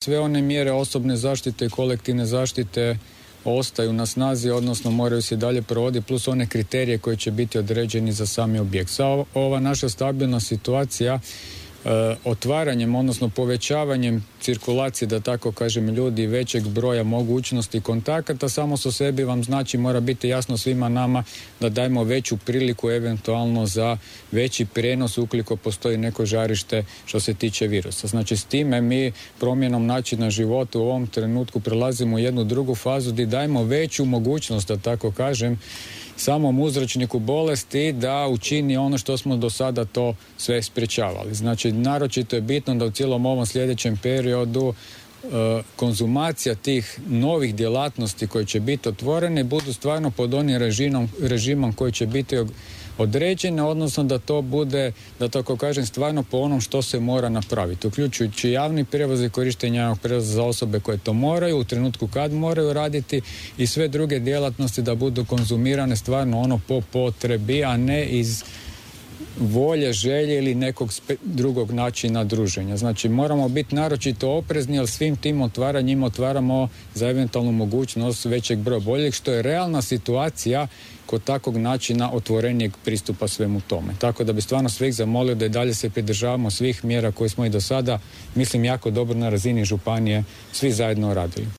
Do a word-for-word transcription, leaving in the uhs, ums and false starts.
Sve one mjere osobne zaštite i kolektivne zaštite ostaju na snazi, odnosno moraju se dalje provoditi, plus one kriterije koji će biti određeni za sami objekt. Sa ova naša stabilna situacija, e, otvaranjem, odnosno povećavanjem cirkulacije, da tako kažem, ljudi, većeg broja mogućnosti kontakata, samo sa sebi vam znači, mora biti jasno svima nama da dajemo veću priliku eventualno za veći prijenos ukoliko postoji neko žarište što se tiče virusa. Znači s time mi promjenom načina života u ovom trenutku prelazimo u jednu drugu fazu gdje dajemo veću mogućnost, da tako kažem, samom uzročniku bolesti da učini ono što smo do sada to sve sprječavali. Znači, naročito je bitno da u cijelom ovom sljedećem periodu e, konzumacija tih novih djelatnosti koje će biti otvorene budu stvarno pod onim režimom, režimom koji će biti određene, odnosno da to bude, da tako kažem, stvarno po onom što se mora napraviti, uključujući javni prijevoz i korištenje javnog prijevoza za osobe koje to moraju, u trenutku kad moraju raditi, i sve druge djelatnosti da budu konzumirane stvarno ono po potrebi, a ne iz volje, želje ili nekog spe, drugog načina druženja. Znači moramo biti naročito oprezni, jer svim tim otvaranjima otvaramo za eventualnu mogućnost većeg broja boljeg, što je realna situacija kod takvog načina otvorenijeg pristupa svemu tome. Tako da bi stvarno svih zamolio da i dalje se pridržavamo svih mjera koje smo i do sada, mislim, jako dobro na razini županije svi zajedno radili.